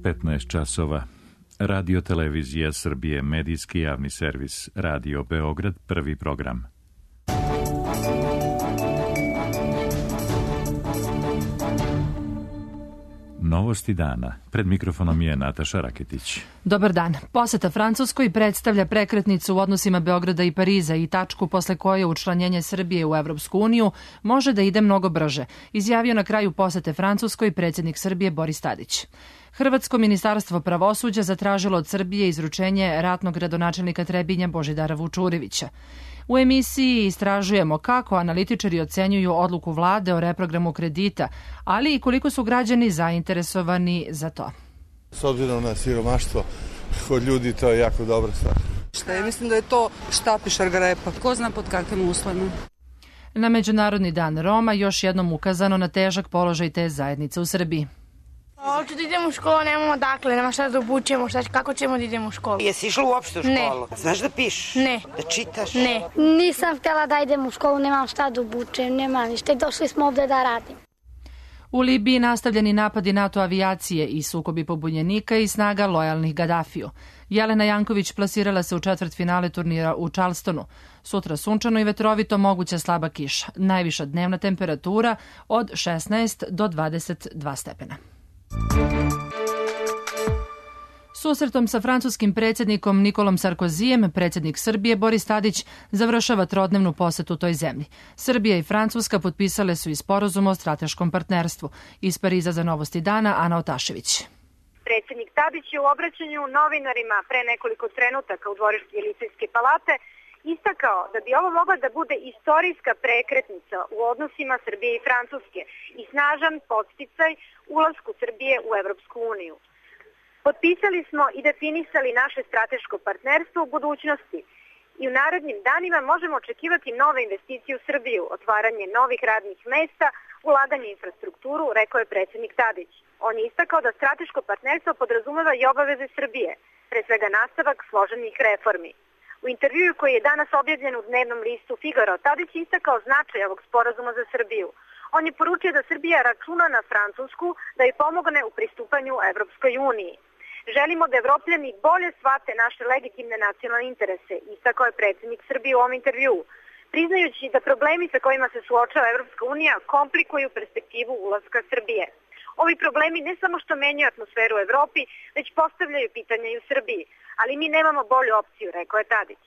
15 časova. Radio Televizija Srbije, medijski javni servis, Radio Beograd, prvi program. Novosti dana. Pred mikrofonom je Nataša Raketić. Dobar dan. Poseta Francuskoj predstavlja prekretnicu u odnosima Beograda i Pariza i tačku posle koje učlanjenje Srbije u Evropsku uniju može da ide mnogo brže, izjavio na kraju posete Francuskoj predsjednik Srbije Boris Tadić. Hrvatsko ministarstvo pravosuđa zatražilo od Srbije izručenje ratnog gradonačelnika Trebinja Božidara Vučurevića. U emisiji istražujemo kako analitičari ocenjuju odluku vlade o reprogramu kredita, ali i koliko su građani zainteresovani za to. S obzirom na siromaštvo kod ljudi, to je jako dobra stvar. Mislim da je to štap i šargarepa. Ko zna pod kakvim uslovima. Na Međunarodni dan Roma još jednom ukazano na težak položaj te zajednice u Srbiji. Hoću da idemo u školu, nemamo dakle, nema šta da obučemo, kako ćemo da idemo u školu. Jesi išla uopšte u školu? Ne. Znaš da pišeš? Ne. Da čitaš? Ne. Nisam htjela da idem u školu, nemam šta da obučem, nema ništa i došli smo ovde da radimo. U Libiji nastavljeni napadi NATO avijacije i sukobi pobunjenika i snaga lojalnih Gadafiju. Jelena Janković plasirala se u četvrtfinale turnira u Charlestonu. Sutra sunčano i vetrovito, moguća slaba kiša. Najviša dnevna temperatura od 16 do 22 stepena. Susretom sa francuskim predsjednikom Nikolom Sarkozijem, predsjednik Srbije Boris Tadić završava trodnevnu posetu toj zemlji. Srbija i Francuska potpisale su i sporazum o strateškom partnerstvu. Iz Pariza za Novosti dana, Ana Otašević. Predsjednik Tadić je u obraćanju novinarima pre nekoliko trenutaka u dvorištu Elizejske palate istakao da bi ovo mogla da bude istorijska prekretnica u odnosima Srbije i Francuske i snažan podsticaj ulasku Srbije u Evropsku uniju. Potpisali smo i definisali naše strateško partnerstvo u budućnosti i u narednim danima možemo očekivati nove investicije u Srbiju, otvaranje novih radnih mesta, ulaganje u infrastrukturu, rekao je predsjednik Tadić. On je istakao da strateško partnerstvo podrazumeva i obaveze Srbije, pre svega nastavak složenih reformi. U intervjuu koji je danas objavljen u dnevnom listu Figaro, Tadić je istakao značaj ovog sporazuma za Srbiju. On je poručio da Srbija računa na Francusku da joj pomogne u pristupanju Evropskoj uniji. Želimo da Evropljani bolje shvate naše legitimne nacionalne interese, istakao je predsjednik Srbije u ovom intervjuu, priznajući da problemi sa kojima se suočava Evropska unija komplikuju perspektivu ulaska Srbije. Ovi problemi ne samo što menjaju atmosferu u Evropi, već postavljaju pitanja i u Srbiji, ali mi nemamo bolju opciju, rekao je Tadić.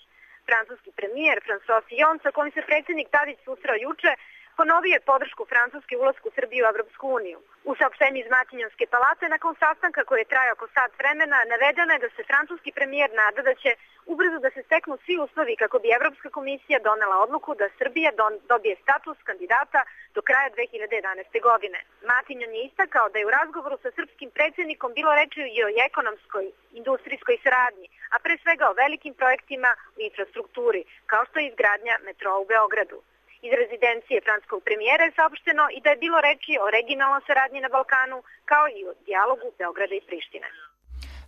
Francuski premijer François Fillon, sa kojim se predsjednik Tadić susreo juče, ponovio je podršku Francuske ulasku Srbije u Evropsku uniju. U saopštenju iz Matignon-ske palate nakon sastanka koji je trajao oko sat vremena navedeno je da se francuski premijer nada da će ubrzo da se steknu svi uslovi kako bi Evropska komisija donela odluku da Srbija dobije status kandidata do kraja 2011. godine. Matignon je istakao da je u razgovoru sa srpskim predsjednikom bilo reči i o ekonomskoj, industrijskoj saradnji, a pre svega o velikim projektima u infrastrukturi, kao što je izgradnja metroa u Beogradu. Iz rezidencije francuskog premijera je saopšteno i da je bilo reči o regionalnoj saradnji na Balkanu, kao i o dijalogu Beograda i Prištine.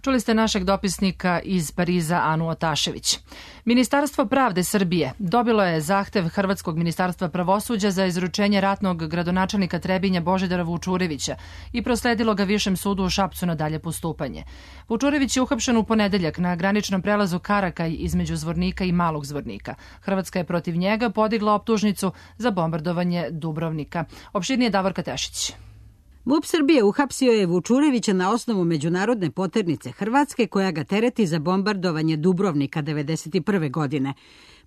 Čuli ste našeg dopisnika iz Pariza, Anu Otašević. Ministarstvo pravde Srbije dobilo je zahtev Hrvatskog ministarstva pravosuđa za izručenje ratnog gradonačelnika Trebinja Božidara Vučurevića i prosledilo ga Višem sudu u Šapcu na dalje postupanje. Vučurević je uhapšen u ponedeljak na graničnom prelazu Karakaj između Zvornika i Malog Zvornika. Hrvatska je protiv njega podigla optužnicu za bombardovanje Dubrovnika. Opširnije Davorka Tešić. MUP Srbije uhapsio je Vučurevića na osnovu međunarodne poternice Hrvatske koja ga tereti za bombardovanje Dubrovnika 1991. godine.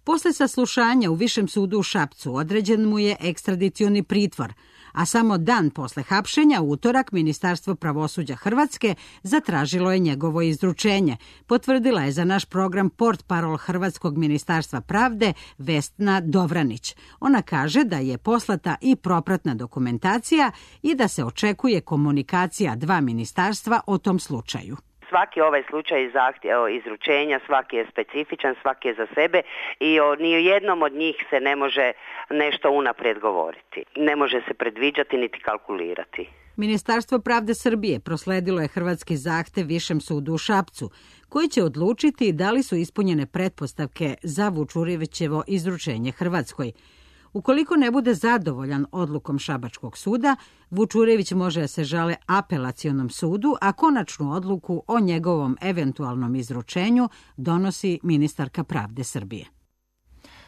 Posle saslušanja u Višem sudu u Šapcu određen mu je ekstradicioni pritvor, a samo dan posle hapšenja, u utorak, Ministarstvo pravosuđa Hrvatske zatražilo je njegovo izručenje, potvrdila je za naš program portparol Hrvatskog ministarstva pravde Vesna Dovranić. Ona kaže da je poslata i propratna dokumentacija i da se očekuje komunikacija dva ministarstva o tom slučaju. Svaki ovaj slučaj izručenja, svaki je specifičan, svaki je za sebe i ni o jednom od njih se ne može nešto unaprijed govoriti. Ne može se predviđati niti kalkulirati. Ministarstvo pravde Srbije prosledilo je hrvatski zahtev Višem sudu u Šapcu, koji će odlučiti da li su ispunjene pretpostavke za Vučurevićevo izručenje Hrvatskoj. Ukoliko ne bude zadovoljan odlukom Šabačkog suda, Vučurević može da se žale apelacionom sudu, a konačnu odluku o njegovom eventualnom izručenju donosi ministarka pravde Srbije.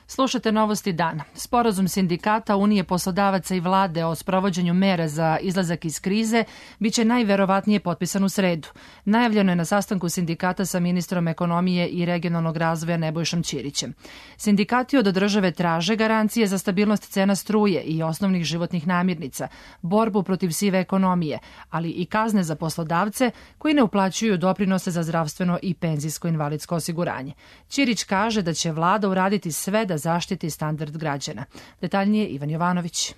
Slušate Novosti dana. Sporazum sindikata, Unije poslodavaca i vlade o sprovođenju mera za izlazak iz krize biće najverovatnije potpisan u sredu. Najavljeno je na sastanku sindikata sa ministrom ekonomije i regionalnog razvoja Nebojšom Ćirićem. Sindikati od države traže garancije za stabilnost cena struje i osnovnih životnih namirnica, borbu protiv sive ekonomije, ali i kazne za poslodavce koji ne uplaćuju doprinose za zdravstveno i penzijsko-invalidsko osiguranje. Ćirić kaže da će vlada uraditi sve da zaštiti standard građana. Detaljnije Ivan Jovanović.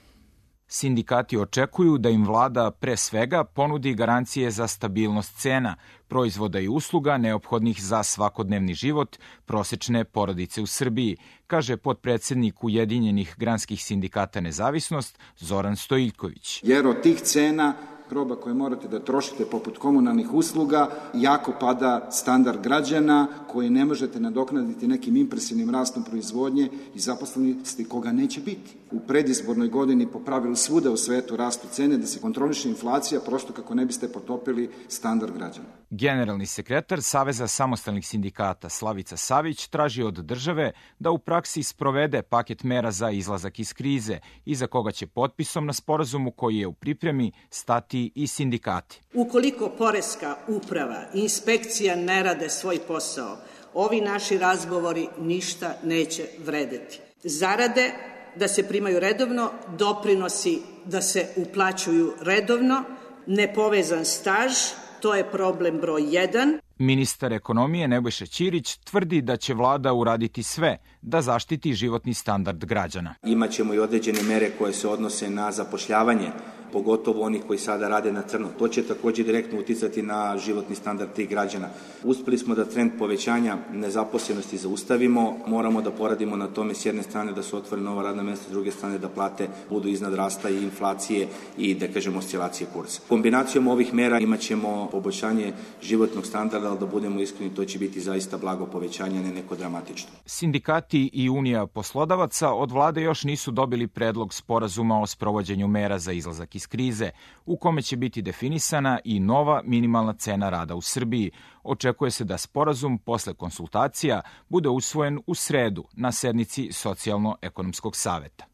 Sindikati očekuju da im vlada pre svega ponudi garancije za stabilnost cena, proizvoda i usluga neophodnih za svakodnevni život prosečne porodice u Srbiji, kaže potpredsednik Ujedinjenih granskih sindikata Nezavisnost Zoran Stojiljković. Jer od tih cena roba koje morate da trošite poput komunalnih usluga, jako pada standard građana koji ne možete nadoknaditi nekim impresivnim rastom proizvodnje i zaposlenosti koga neće biti. U predizbornoj godini po pravilu svuda u svetu rastu cene da se kontroliše inflacija prosto kako ne biste potopili standard građana. Generalni sekretar Saveza samostalnih sindikata Slavica Savić traži od države da u praksi sprovede paket mera za izlazak iz krize, iza koga će potpisom na sporazumu koji je u pripremi stati i sindikati. Ukoliko poreska uprava i inspekcija ne rade svoj posao, ovi naši razgovori ništa neće vredeti. Zarade da se primaju redovno, doprinosi da se uplaćuju redovno, nepovezan staž, to je problem broj 1. Ministar ekonomije Nebojša Ćirić tvrdi da će vlada uraditi sve da zaštiti životni standard građana. Imaćemo i određene mere koje se odnose na zapošljavanje, pogotovo onih koji sada rade na crno. To će takođe direktno uticati na životni standard tih građana. Uspeli smo da trend povećanja nezaposlenosti zaustavimo, moramo da poradimo na tome s jedne strane da se otvore nova radna mesta, s druge strane da plate budu iznad rasta i inflacije i da kažemo oscilacije kursa. Kombinacijom ovih mera imaćemo poboljšanje životnog standarda, ali da budemo iskreni, to će biti zaista blago povećanje, ne neko dramatično. Sindikati i Unija poslodavaca od vlade još nisu dobili predlog sporazuma o sprovođenju mera za izlazak iz krize, u kome će biti definisana i nova minimalna cena rada u Srbiji. Očekuje se da sporazum posle konsultacija bude usvojen u sredu na sednici Socijalno-ekonomskog saveta.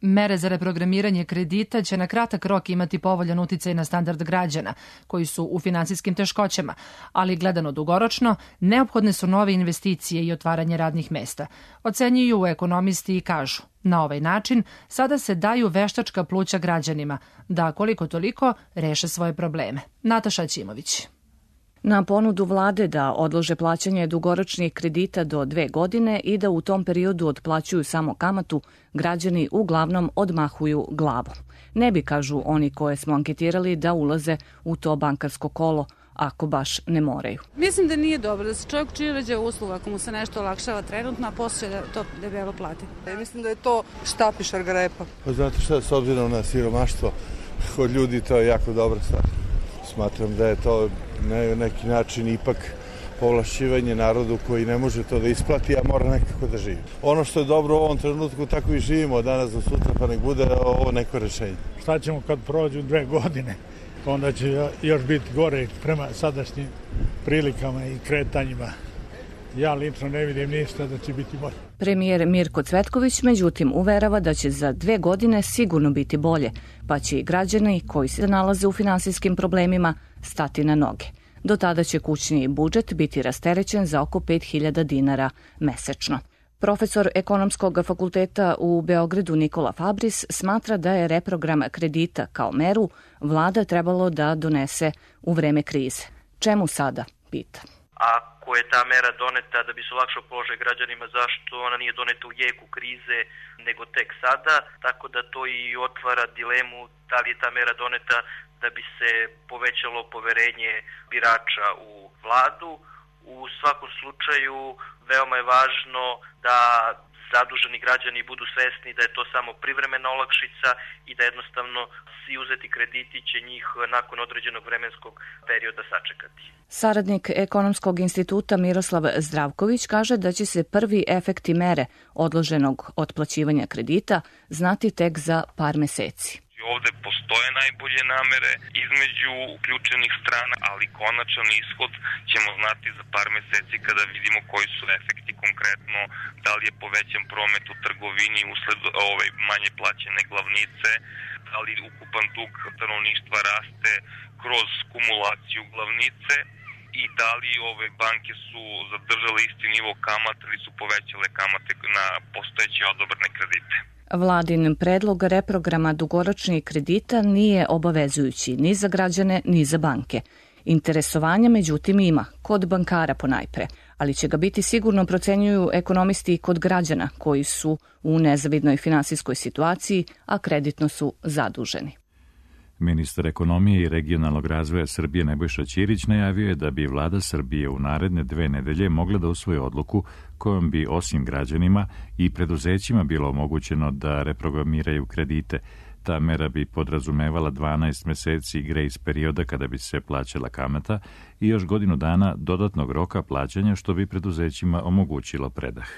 Mere za reprogramiranje kredita će na kratak rok imati povoljan uticaj na standard građana koji su u finansijskim teškoćama, ali gledano dugoročno, neophodne su nove investicije i otvaranje radnih mesta. Ocenjuju ekonomisti i kažu, na ovaj način sada se daju veštačka pluća građanima da koliko toliko reše svoje probleme. Nataša Ćimović. Na ponudu vlade da odlože plaćanje dugoročnih kredita do 2 godine i da u tom periodu otplaćuju samo kamatu, građani uglavnom odmahuju glavom. Ne bi, kažu oni koje smo anketirali, da ulaze u to bankarsko kolo, ako baš ne moraju. Mislim da nije dobro da se čovjek čirađa usluga ako mu se nešto olakšava trenutno, a poslije da to debelo plati. Mislim da je to štap i šargarepa. Pa znate šta, s obzirom na siromaštvo kod ljudi, to je jako dobra stvar. Smatram da je to na neki način ipak povlašćivanje narodu koji ne može to da isplati, a mora nekako da živi. Ono što je dobro u ovom trenutku, tako i živimo od danas do sutra, pa nek bude ovo neko rešenje. Šta ćemo kad prođu 2 godine? Onda će još biti gore prema sadašnjim prilikama i kretanjima. Ja lično ne vidim ništa da će biti bolje. Premijer Mirko Cvetković međutim uverava da će za 2 godine sigurno biti bolje, pa će i građani koji se nalaze u finansijskim problemima stati na noge. Do tada će kućni budžet biti rasterećen za oko 5.000 dinara mesečno. Profesor Ekonomskog fakulteta u Beogradu Nikola Fabris smatra da je reprogram kredita kao meru vlada trebalo da donese u vreme krize. Čemu sada, pita. Ako je ta mera doneta da bi se olakšao položaj građanima, zašto ona nije doneta u jeku krize nego tek sada, tako da to i otvara dilemu da li je ta mera doneta da bi se povećalo poverenje birača u vladu. U svakom slučaju veoma je važno da zaduženi građani budu svesni da je to samo privremena olakšica i da jednostavno svi uzeti krediti će njih nakon određenog vremenskog perioda sačekati. Saradnik Ekonomskog instituta Miroslav Zdravković kaže da će se prvi efekti mere odloženog otplaćivanja kredita znati tek za par meseci. Ovde postoje najbolje namere između uključenih strana, ali konačan ishod ćemo znati za par meseci kada vidimo koji su efekti konkretno, da li je povećan promet u trgovini usled manje plaćene glavnice, da li ukupan dug stanovništva raste kroz kumulaciju glavnice i da li ove banke su zadržale isti nivo kamata ili su povećale kamate na postojeće odobrene kredite. Vladin predlog reprograma dugoročnih kredita nije obavezujući ni za građane ni za banke. Interesovanja međutim ima, kod bankara ponajpre, ali će ga biti sigurno, procenjuju ekonomisti, i kod građana koji su u nezavidnoj finansijskoj situaciji, a kreditno su zaduženi. Ministar ekonomije i regionalnog razvoja Srbije Nebojša Ćirić najavio je da bi vlada Srbije u naredne 2 nedelje mogla da usvoji odluku kojom bi osim građanima i preduzećima bilo omogućeno da reprogramiraju kredite. Ta mera bi podrazumevala 12 meseci grejs perioda kada bi se plaćala kamata i još godinu dana dodatnog roka plaćanja, što bi preduzećima omogućilo predah.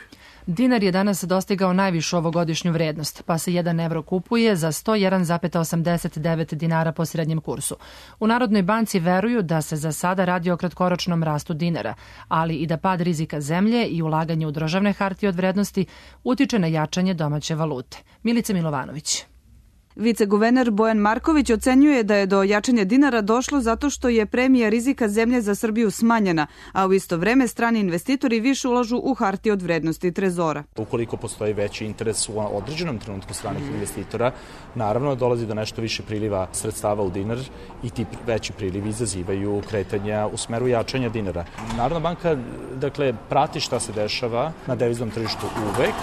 Dinar je danas dostigao najvišu ovogodišnju vrednost, pa se 1 evro kupuje za 101,89 dinara po srednjem kursu. U Narodnoj banci veruju da se za sada radi o kratkoročnom rastu dinara, ali i da pad rizika zemlje i ulaganje u državne hartije od vrednosti utiče na jačanje domaće valute. Milica Milovanović. Viceguverner Bojan Marković ocenjuje da je do jačanja dinara došlo zato što je premija rizika zemlje za Srbiju smanjena, a u isto vreme strani investitori više ulažu u hartije od vrednosti trezora. Ukoliko postoji veći interes u određenom trenutku stranih investitora, naravno dolazi do nešto više priliva sredstava u dinar i ti veći prilivi izazivaju kretanja u smeru jačanja dinara. Narodna banka, prati šta se dešava na deviznom tržištu uvek.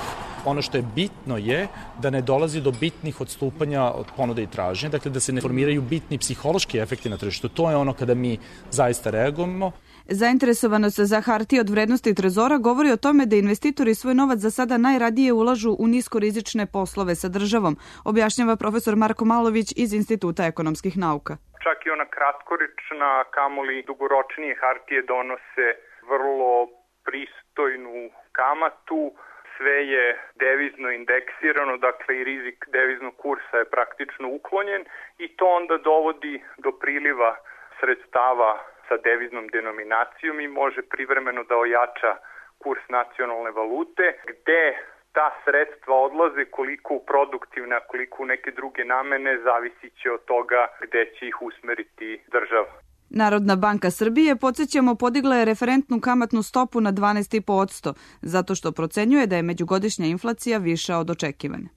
Ono što je bitno je da ne dolazi do bitnih odstupanja od ponude i tražnje, da se ne formiraju bitni psihološki efekti na tržištu. To je ono kada mi zaista reagujemo. Zainteresovanost za hartije od vrednosti trezora govori o tome da investitori svoj novac za sada najradije ulažu u niskorizične poslove sa državom, objašnjava profesor Marko Malović iz Instituta ekonomskih nauka. Čak i ona kratkoročna, kamoli dugoročnije hartije donose vrlo pristojnu kamatu. Sve je devizno indeksirano, dakle i rizik deviznog kursa je praktično uklonjen i to onda dovodi do priliva sredstava sa deviznom denominacijom i može privremeno da ojača kurs nacionalne valute, gde ta sredstva odlaze, koliko u produktivne, a koliko u neke druge namene, zavisit će od toga gde će ih usmeriti država. Narodna banka Srbije, podsjećamo, podigla je referentnu kamatnu stopu na 12,5%, zato što procenjuje da je međugodišnja inflacija viša od očekivane.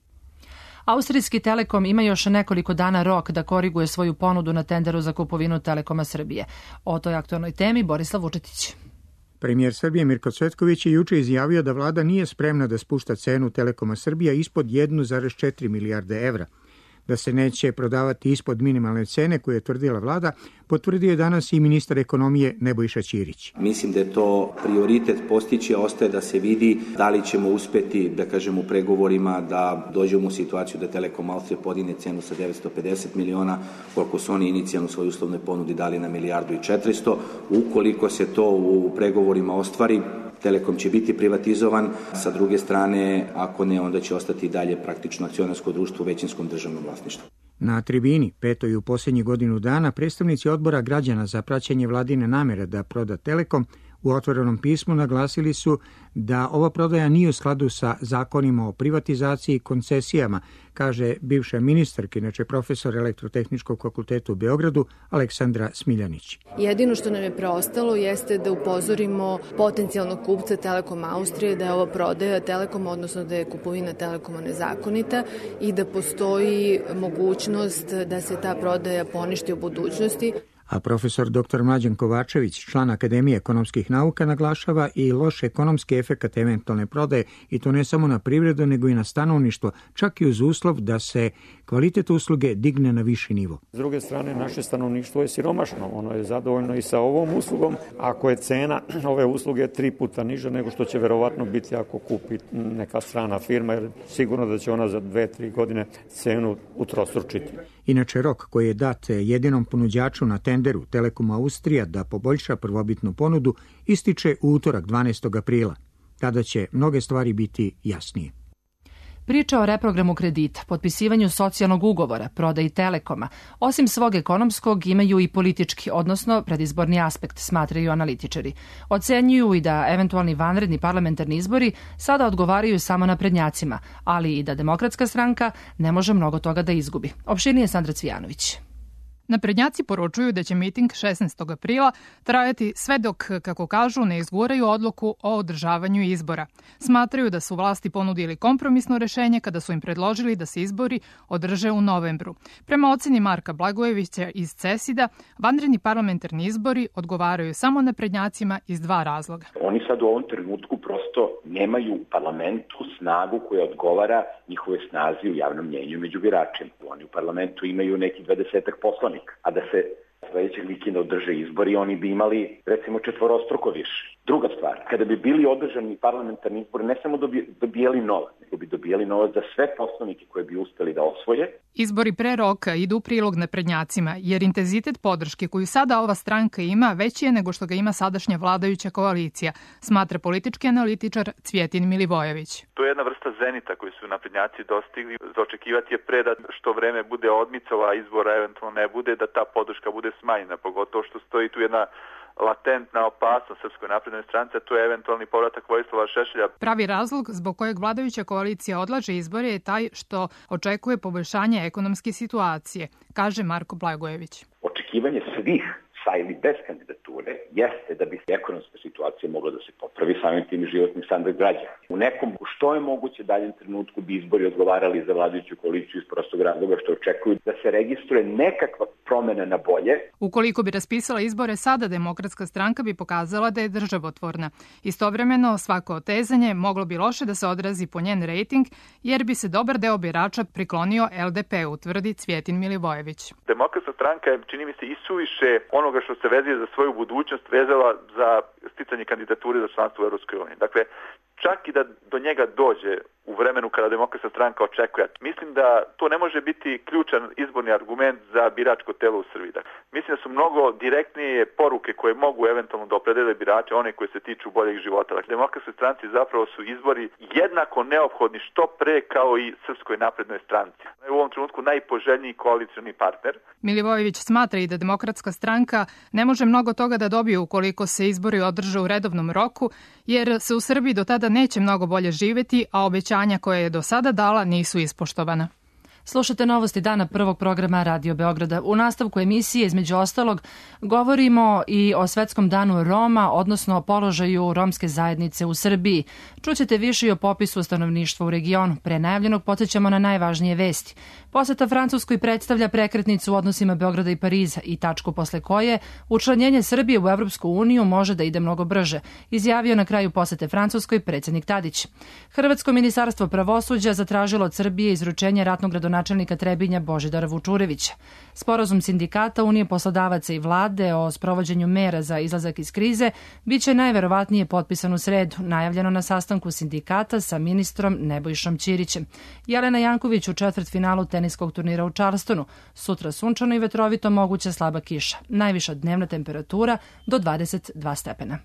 Austrijski Telekom ima još nekoliko dana rok da koriguje svoju ponudu na tenderu za kupovinu Telekoma Srbije. O toj aktualnoj temi Borislav Vučetić. Premijer Srbije Mirko Cvetković je juče izjavio da vlada nije spremna da spušta cenu Telekoma Srbija ispod 1,4 milijarde evra. Da se neće prodavati ispod minimalne cene koje je tvrdila vlada, potvrdio je danas i ministar ekonomije Nebojša Ćirić. Mislim da je to prioritet postići, a ostaje da se vidi da li ćemo uspeti, u pregovorima da dođemo u situaciju da Telekom Austrije podigne cenu sa 950 miliona, koliko su oni inicijalno svoju uslovnoj ponudi dali na 1,4 milijarde. Ukoliko se to u pregovorima ostvari, Telekom će biti privatizovan, sa druge strane, ako ne, onda će ostati dalje praktično akcionarsko društvo u većinskom državnom vlasništvu. Na tribini, petoj u posljednjih godinu dana, predstavnici odbora građana za praćenje vladine namere da proda Telekom u otvorenom pismu naglasili su da ova prodaja nije u skladu sa zakonima o privatizaciji i koncesijama, kaže bivša ministarka, inače profesor Elektrotehničkog fakulteta u Beogradu, Aleksandra Smiljanić. Jedino što nam je preostalo jeste da upozorimo potencijalnog kupca Telekom Austrije da je ova prodaja Telekoma, odnosno da je kupovina Telekoma nezakonita i da postoji mogućnost da se ta prodaja poništi u budućnosti. A profesor dr. Mlađan Kovačević, član Akademije ekonomskih nauka, naglašava i loš ekonomski efekat eventualne prodaje, i to ne samo na privredu, nego i na stanovništvo, čak i uz uslov da se kvalitet usluge digne na viši nivo. S druge strane, naše stanovništvo je siromašno. Ono je zadovoljno i sa ovom uslugom. Ako je cena ove usluge 3 puta niža nego što će verovatno biti ako kupi neka strana firma, jer sigurno da će ona za 2-3 godine cenu utrostručiti. Inače, rok koji je dat jedinom ponuđaču na tenderu Telekom Austrija da poboljša prvobitnu ponudu ističe u utorak 12. aprila. Tada će mnoge stvari biti jasnije. Priča o reprogramu kredita, potpisivanju socijalnog ugovora, prodaji Telekoma, osim svog ekonomskog imaju i politički, odnosno predizborni aspekt, smatraju analitičari. Ocenjuju i da eventualni vanredni parlamentarni izbori sada odgovaraju samo naprednjacima, ali i da Demokratska stranka ne može mnogo toga da izgubi. Opširnije Sandra Cvijanović. Naprednjaci poručuju da će miting 16. aprila trajati sve dok, kako kažu, ne izguraju odluku o održavanju izbora. Smatraju da su vlasti ponudili kompromisno rešenje kada su im predložili da se izbori održe u novembru. Prema oceni Marka Blagojevića iz CESID-a, vanredni parlamentarni izbori odgovaraju samo naprednjacima iz 2 razloga. Oni sad u ovom trenutku prosto nemaju u parlamentu snagu koja odgovara njihove snazi u javnom mnjenju među biračima. Oni u parlamentu imaju neki 20 poslanika, a da se sledećeg vikenda održe izbori, oni bi imali, recimo, 4-struko više. Druga stvar, kada bi bili održani parlamentarni izbori, ne samo dobijali novac, nego bi dobijali novac za sve poslanike koje bi uspeli da osvoje. Izbori pre roka idu u prilog naprednjacima, jer intenzitet podrške koju sada ova stranka ima veći je nego što ga ima sadašnja vladajuća koalicija, smatra politički analitičar Cvjetin Milivojević. To je jedna vrsta zenita koju su naprednjaci dostigli. Za očekivati je pre da što vreme bude odmicalo, a izbora eventualno ne bude, da ta podrška bude smanjena, pogotovo što stoji tu jedna latentna opasnost Srpskoj naprednoj stranci, a to je eventualni povratak Vojislava Šešelja. Pravi razlog zbog kojeg vladajuća koalicija odlaže izbore je taj što očekuje poboljšanje ekonomske situacije, kaže Marko Blagojević. Očekivanje svih sa ili bez kandidature jeste da bi ekonomska situacija mogla da se popravi, samim tim i životni standard građana. U nekom što je moguće daljem trenutku bi izbori odgovarali za vladajuću koaliciju iz prostog razloga što očekuju da se registruje nekakva promena na bolje. Ukoliko bi raspisala izbore sada, Demokratska stranka bi pokazala da je državotvorna. Istovremeno, svako otezanje moglo bi loše da se odrazi po njen rejting, jer bi se dobar deo birača priklonio LDP-u, tvrdi Cvjetin Milivojević. Demokratska stranka je, čini mi se, isuviše onoga što se vezuje za svoju budućnost vezala za sticanje kandidature za članstvo u Evropskoj uniji. Dakle, čak i da do njega dođe u vremenu kada Demokratska stranka očekuje. Mislim da to ne može biti ključan izborni argument za biračko telo u Srbiji. Mislim da su mnogo direktnije poruke koje mogu eventualno da opredele birače, one koje se tiču boljeg života. Dakle, Demokratskoj stranci zapravo su izbori jednako neophodni što pre kao i Srpskoj naprednoj stranci. U ovom trenutku najpoželjniji koalicioni partner. Milivojević smatra i da Demokratska stranka ne može mnogo toga da dobije ukoliko se izbori održe u redovnom roku, jer se u Srbiji do tada neće mnogo bolje živeti, a obećanja koje je do sada dala nisu ispoštovana. Slušate novosti dana prvog programa Radio Beograda. U nastavku emisije, između ostalog, govorimo i o Svetskom danu Roma, odnosno o položaju romske zajednice u Srbiji. Čućete više i o popisu stanovništva u regionu. Pre najavljenog podsjećamo na najvažnije vesti. Poseta Francuskoj predstavlja prekretnicu u odnosima Beograda i Pariza i tačku posle koje učlanjenje Srbije u Evropsku uniju može da ide mnogo brže, izjavio na kraju posete Francuskoj predsjednik Tadić. Hrvatsko ministarstvo pravosuđa zatražilo od Srbije izručenje ratnog gradonačelnika Trebinja Božidara Vučurevića. Sporazum sindikata, Unije poslodavaca i vlade o sprovođenju mera za izlazak iz krize biće najverovatnije potpisan u sredu, najavljeno na sastanku sindikata sa ministrom Nebojšom Ćirićem. Jelena Janković u četvrtfinalu teniskog turnira u Charlestonu. Sutra sunčano i vetrovito, moguća slaba kiša. Najviša dnevna temperatura do 22 stepena.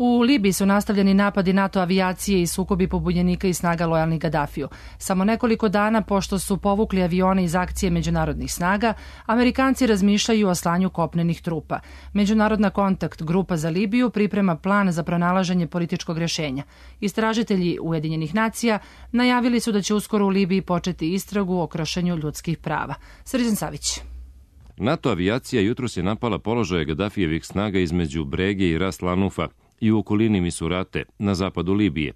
U Libiji su nastavljeni napadi NATO avijacije i sukobi pobunjenika i snaga lojalnih Gadafiju. Samo nekoliko dana pošto su povukli avione iz akcije međunarodnih snaga, Amerikanci razmišljaju o slanju kopnenih trupa. Međunarodna kontakt grupa za Libiju priprema plan za pronalaženje političkog rješenja. Istražitelji Ujedinjenih nacija najavili su da će uskoro u Libiji početi istragu o kršenju ljudskih prava. Srđan Savić. NATO avijacija jutros je napala položaje Gadafijevih snaga između Brege i Ras Lanufa i u okolini Misurate, na zapadu Libije.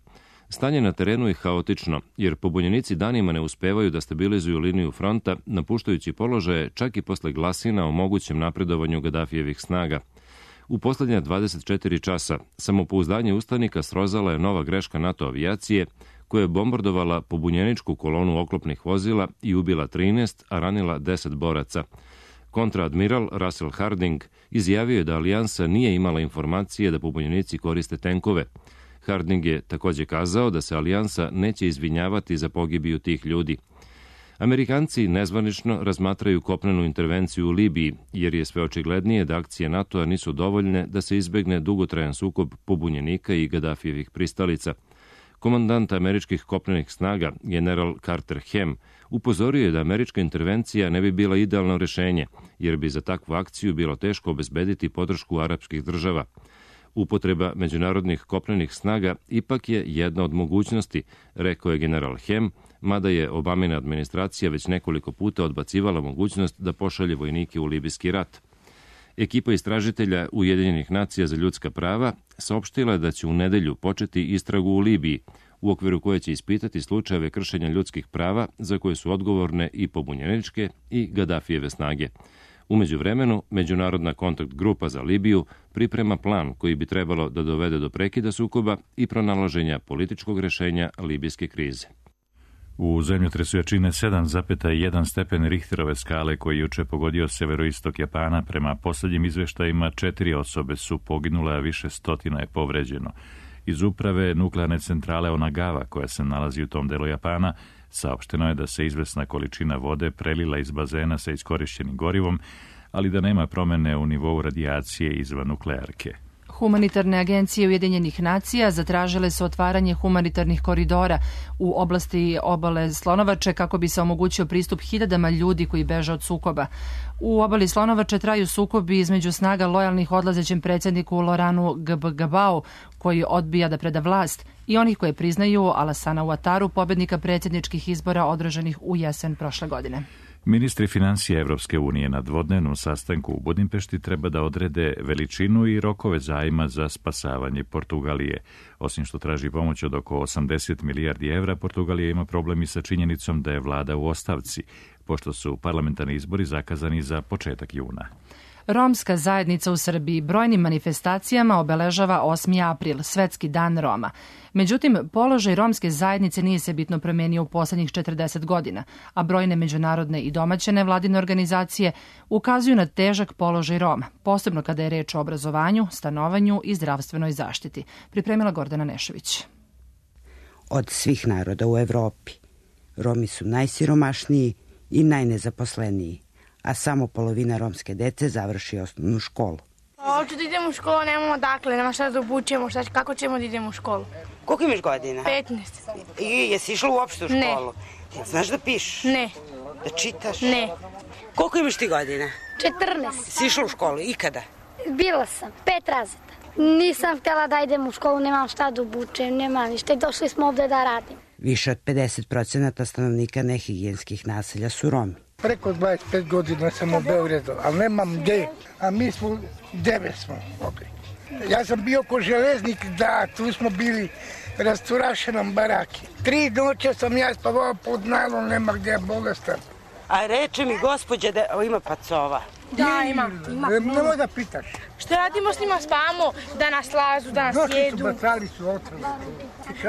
Stanje na terenu je haotično, jer pobunjenici danima ne uspevaju da stabilizuju liniju fronta, napuštajući položaje čak i posle glasina o mogućem napredovanju Gadafijevih snaga. U poslednja 24 časa samopouzdanje ustanika srozala je nova greška NATO avijacije, koja je bombardovala pobunjeničku kolonu oklopnih vozila i ubila 13, a ranila 10 boraca. Kontraadmiral Russell Harding izjavio je da alijansa nije imala informacije da pobunjenici koriste tenkove. Harding je takođe kazao da se alijansa neće izvinjavati za pogibiju tih ljudi. Amerikanci nezvanično razmatraju kopnenu intervenciju u Libiji, jer je sve očiglednije da akcije NATO-a nisu dovoljne da se izbegne dugotrajan sukob pobunjenika i Gadafijevih pristalica. Komandant američkih kopnenih snaga, general Carter Hem, upozorio je da američka intervencija ne bi bila idealno rešenje, jer bi za takvu akciju bilo teško obezbediti podršku arapskih država. Upotreba međunarodnih kopnenih snaga ipak je jedna od mogućnosti, rekao je general Hem, mada je Obamina administracija već nekoliko puta odbacivala mogućnost da pošalje vojnike u libijski rat. Ekipa istražitelja Ujedinjenih nacija za ljudska prava saopštila je da će u nedelju početi istragu u Libiji, u okviru koje će ispitati slučajeve kršenja ljudskih prava za koje su odgovorne i pobunjeničke i Gadafijeve snage. U međuvremenu, Međunarodna kontakt grupa za Libiju priprema plan koji bi trebalo da dovede do prekida sukoba i pronalaženja političkog rešenja libijske krize. U zemljotresu jačine 7,1 stepen Richterove skale koji juče pogodio severoistok Japana, prema poslednjim izveštajima 4 osobe su poginule, a više stotina je povređeno. Iz uprave nuklearne centrale Onagawa, koja se nalazi u tom delu Japana, saopšteno je da se izvesna količina vode prelila iz bazena sa iskorišćenim gorivom, ali da nema promene u nivou radijacije izvan nuklearke. Humanitarne agencije Ujedinjenih nacija zatražile su otvaranje humanitarnih koridora u oblasti obale Slonovače kako bi se omogućio pristup hiljadama ljudi koji beže od sukoba. U obali Slonovače traju sukobi između snaga lojalnih odlazećem predsjedniku Loranu Gbagabau, koji odbija da preda vlast, i onih koje priznaju Alassana Ouattaru, pobednika predsjedničkih izbora održanih u jesen prošle godine. Ministri financija Evropske unije na dvodnevnom sastanku u Budimpešti treba da odrede veličinu i rokove zajma za spasavanje Portugalije. Osim što traži pomoć od oko 80 milijardi evra, Portugalija ima problem i sa činjenicom da je vlada u ostavci, pošto su parlamentarni izbori zakazani za početak juna. Romska zajednica u Srbiji brojnim manifestacijama obeležava 8. april, Svetski dan Roma. Međutim, položaj romske zajednice nije se bitno promenio u poslednjih 40 godina, a brojne međunarodne i domaće nevladine organizacije ukazuju na težak položaj Roma, posebno kada je reč o obrazovanju, stanovanju i zdravstvenoj zaštiti. Pripremila Gordana Nešović. Od svih naroda u Evropi, Romi su najsiromašniji i najnezaposleniji, a samo polovina romske dece završi osnovnu školu. Hoću da idem u školu, nemamo dakle, nema šta da obučemo, kako ćemo da idemo u školu? Koliko imaš godina? 15. I jesi išla uopšte u školu? Ne. Znaš da pišeš? Ne. Da čitaš? Ne. Koliko imaš ti godina? 14. Si išla u školu, ikada? Bila sam, 5 razreda. Nisam htjela da idem u školu, nemam šta da obučem, nemam ništa i došli smo ovde da radim. Više od 50% stanovnika nehigijenskih naselja su Romi. Preko 25 godina sam u Beogradu, ali nemam gde, a mi smo 9 smo mogli. Ja sam bio ko železnik, da, tu smo bili rasturašenom baraki. 3 noće sam ja spavao pod nalom, nema gde, bolestan. A reče mi gospođa da ima pacova. Da, ima. Nemoj da pitaš. Šta radimo s njima, spavamo, da nas lazu, da nas jedu. Noći su bacali su otrove.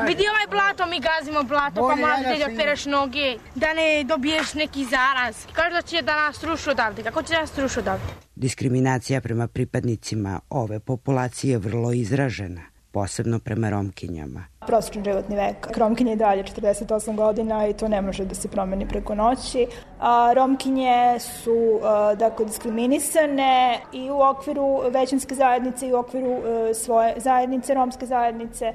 Vidi ovaj blato, mi gazimo blato, pa moraš da opereš noge, da ne dobiješ neki zaraz. Kažu da će da nas rušu odavde. Kako će da nas rušu odavde? Diskriminacija prema pripadnicima ove populacije je vrlo izražena, posebno prema Romkinjama. Prosječni životni vek Romkinje je dalje 48 godina i to ne može da se promeni preko noći. Romkinje su dakle diskriminisane i u okviru većinske zajednice i u okviru svoje zajednice, romske zajednice.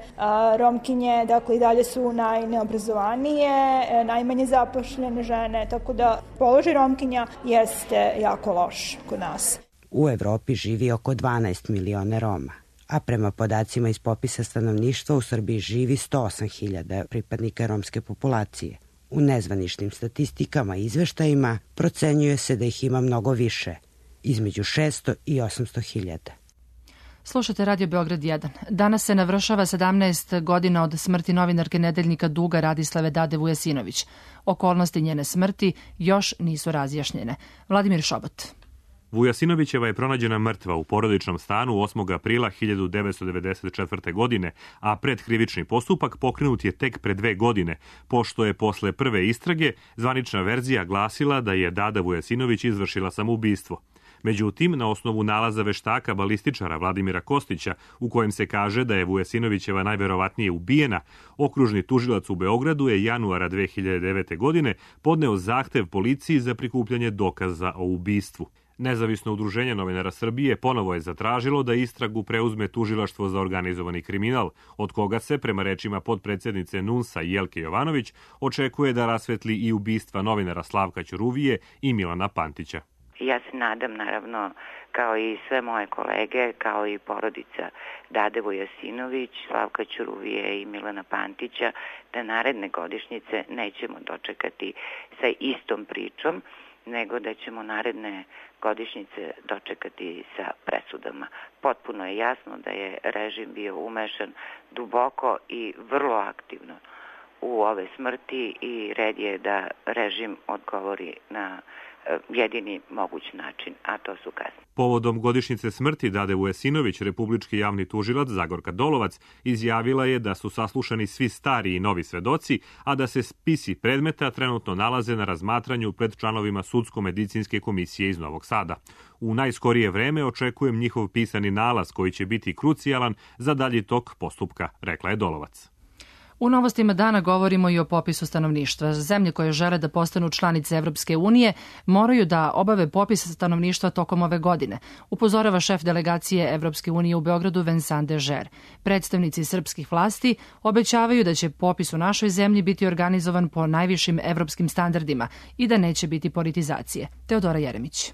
Romkinje dakle i dalje su najneobrazovanije, najmanje zapošljene žene, tako da položaj Romkinja jeste jako loš kod nas. U Evropi živi oko 12 miliona Roma, a prema podacima iz popisa stanovništva u Srbiji živi 108.000 pripadnika romske populacije. U nezvaničnim statistikama i izveštajima procenjuje se da ih ima mnogo više, između 600 i 800.000. Slušate Radio Beograd 1. Danas se navršava 17 godina od smrti novinarke nedeljnika Duga Radislave Dade Vujasinović. Okolnosti njene smrti još nisu razjašnjene. Vladimir Šobot. Vujasinovićeva je pronađena mrtva u porodičnom stanu 8. aprila 1994. godine, a predkrivični postupak pokrenut je tek pre 2 godine, pošto je posle prve istrage zvanična verzija glasila da je Dada Vujasinović izvršila samoubistvo. Međutim, na osnovu nalaza veštaka balističara Vladimira Kostića, u kojem se kaže da je Vujasinovićeva najverovatnije ubijena, okružni tužilac u Beogradu je januara 2009. godine podneo zahtev policiji za prikupljanje dokaza o ubistvu. Nezavisno udruženje novinara Srbije ponovo je zatražilo da istragu preuzme Tužilaštvo za organizovani kriminal, od koga se, prema rečima potpredsednice NUNS-a Jelke Jovanović, očekuje da rasvetli i ubistva novinara Slavka Ćuruvije i Milana Pantića. Ja se nadam, naravno, kao i sve moje kolege, kao i porodica Dade Vujasinović, Slavka Ćuruvije i Milana Pantića, da naredne godišnjice nećemo dočekati sa istom pričom, nego da ćemo naredne godišnjice dočekati sa presudama. Potpuno je jasno da je režim bio umešan duboko i vrlo aktivno u ove smrti i red je da režim odgovori na jedini moguć način, a to su kazne. Povodom godišnjice smrti Dade Vujasinović, republički javni tužilac Zagorka Dolovac izjavila je da su saslušani svi stari i novi svedoci, a da se spisi predmeta trenutno nalaze na razmatranju pred članovima Sudsko-medicinske komisije iz Novog Sada. U najskorije vreme očekujem njihov pisani nalaz koji će biti krucijalan za dalji tok postupka, rekla je Dolovac. U novostima dana govorimo i o popisu stanovništva. Zemlje koje žele da postanu članice Evropske unije moraju da obave popis stanovništva tokom ove godine, upozorava šef delegacije Evropske unije u Beogradu Vincent Dežer. Predstavnici srpskih vlasti obećavaju da će popis u našoj zemlji biti organizovan po najvišim evropskim standardima i da neće biti politizacije. Teodora Jeremić.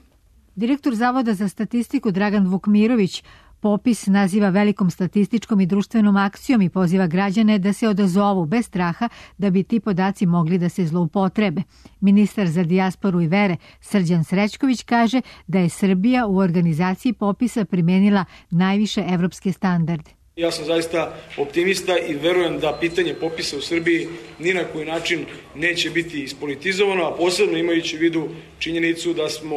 Direktor Zavoda za statistiku Dragan Vukmirović popis naziva velikom statističkom i društvenom akcijom i poziva građane da se odazovu bez straha da bi ti podaci mogli da se zloupotrebe. Ministar za dijasporu i vere Srđan Srećković kaže da je Srbija u organizaciji popisa primenila najviše evropske standarde. Ja sam zaista optimista i verujem da pitanje popisa u Srbiji ni na koji način neće biti ispolitizovano, a posebno imajući u vidu činjenicu da smo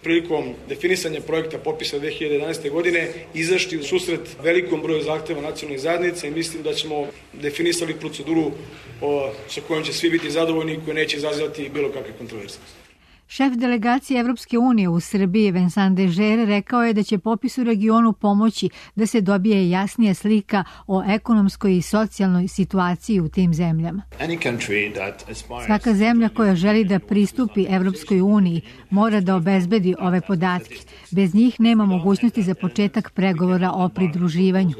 prilikom definisanja projekta popisa 2011. godine izašli u susret velikom broju zahteva nacionalnih zajednica i mislim da ćemo definisali proceduru sa kojom će svi biti zadovoljni i koja neće izazivati bilo kakve kontroverze. Šef delegacije Evropske unije u Srbiji Vincent Dežer rekao je da će popis u regionu pomoći da se dobije jasnija slika o ekonomskoj i socijalnoj situaciji u tim zemljama. Svaka zemlja koja želi da pristupi Evropskoj uniji mora da obezbedi ove podatke. Bez njih nema mogućnosti za početak pregovora o pridruživanju.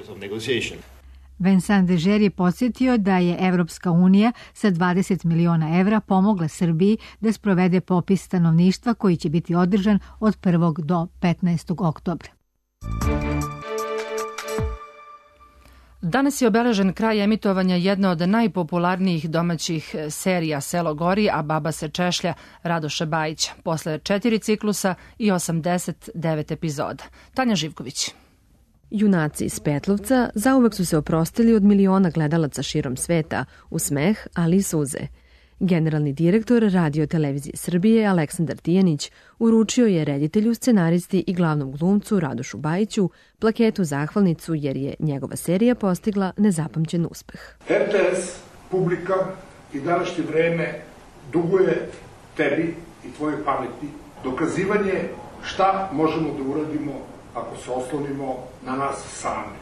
Vincent Dežer je podsjetio da je Evropska unija sa 20 miliona evra pomogla Srbiji da sprovede popis stanovništva koji će biti održan od 1. do 15. oktobra. Danas je obeležen kraj emitovanja jedne od najpopularnijih domaćih serija Selo gori, a baba se češlja Radoša Bajića, posle 4 ciklusa i 89 epizoda. Tanja Živković. Junaci iz Petlovca zauvek su se oprostili od miliona gledalaca širom sveta u smeh, ali i suze. Generalni direktor Radio televizije Srbije Aleksandar Tijanić uručio je reditelju, scenaristi i glavnom glumcu Radošu Bajiću plaketu zahvalnicu jer je njegova serija postigla nezapamćen uspeh. RTS, publika i današnje vreme duguje tebi i tvojoj pameti dokazivanje šta možemo da uradimo ako se oslonimo na nas sami.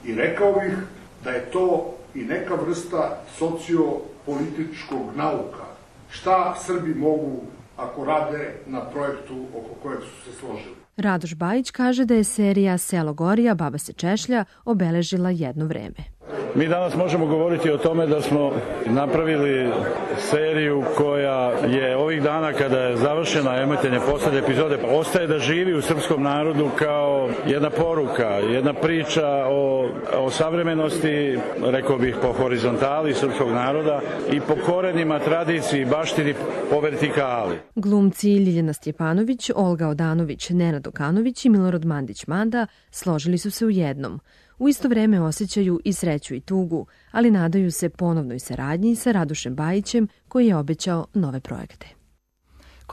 I rekao bih da je to i neka vrsta sociopolitičkog nauka. Šta Srbi mogu ako rade na projektu oko kojeg su se složili. Radoš Bajić kaže da je serija Selo gori, a baba se češlja obeležila jedno vreme. Mi danas možemo govoriti o tome da smo napravili seriju koja je ovih dana kada je završena emitovanje poslednje epizode ostaje da živi u srpskom narodu kao jedna poruka, jedna priča o savremenosti, rekao bih po horizontali srpskog naroda i po korenima, tradiciji, baštini, po vertikali. Glumci Ljiljana Stjepanović, Olga Odanović, Nenad Okanović i Milorad Mandić-Manda složili su se u jednom. U isto vreme osjećaju i sreću i tugu, ali nadaju se ponovnoj saradnji sa Radošem Bajićem koji je obećao nove projekte.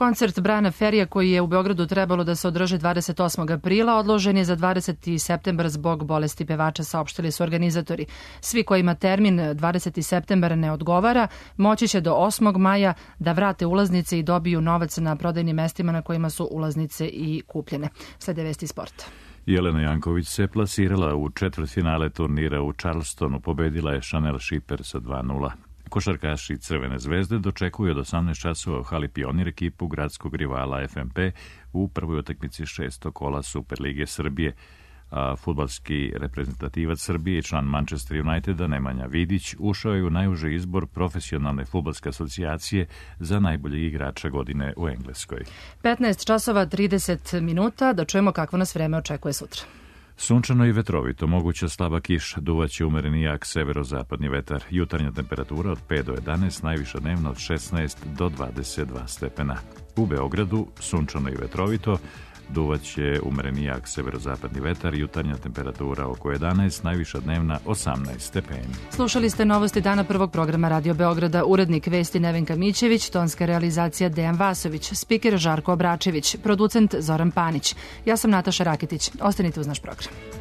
Koncert Briana Ferrya koji je u Beogradu trebalo da se održi 28. aprila odložen je za 20. septembar zbog bolesti pevača, saopštili su organizatori. Svi kojima termin 20. septembar ne odgovara moći će do 8. maja da vrate ulaznice i dobiju novac na prodajnim mestima na kojima su ulaznice i kupljene. Slede vesti sporta. Jelena Janković se plasirala u četvrtfinale turnira u Charlestonu, pobedila je Chanel Schipper sa 2:0. Košarkaši Crvene zvezde dočekuju od 18 časova u hali Pionir ekipu gradskog rivala FNP u prvoj utakmici 6. kola Superlige Srbije. A fudbalski reprezentativac Srbije i član Manchester Uniteda Nemanja Vidić ušao je u najuži izbor profesionalne fudbalske asocijacije za najboljeg igrača godine u Engleskoj. 15 časova 30 minuta, da čujemo kakvo nas vreme očekuje sutra. Sunčano i vetrovito, moguća slaba kiša, duvaće umereni jak severozapadni vetar, jutarnja temperatura od 5 do 11, najviša dnevna od 16 do 22 stepena. U Beogradu sunčano i vetrovito, duvaće umereni jak severozapadni vetar, jutarnja temperatura oko 11, najviša dnevna 18 stepeni. Slušali ste novosti dana prvog programa Radio Beograda, urednik vesti Nevenka Mićević, tonska realizacija Dejan Vasović, spiker Žarko Obračević, producent Zoran Panić. Ja sam Nataša Raketić. Ostanite uz naš program.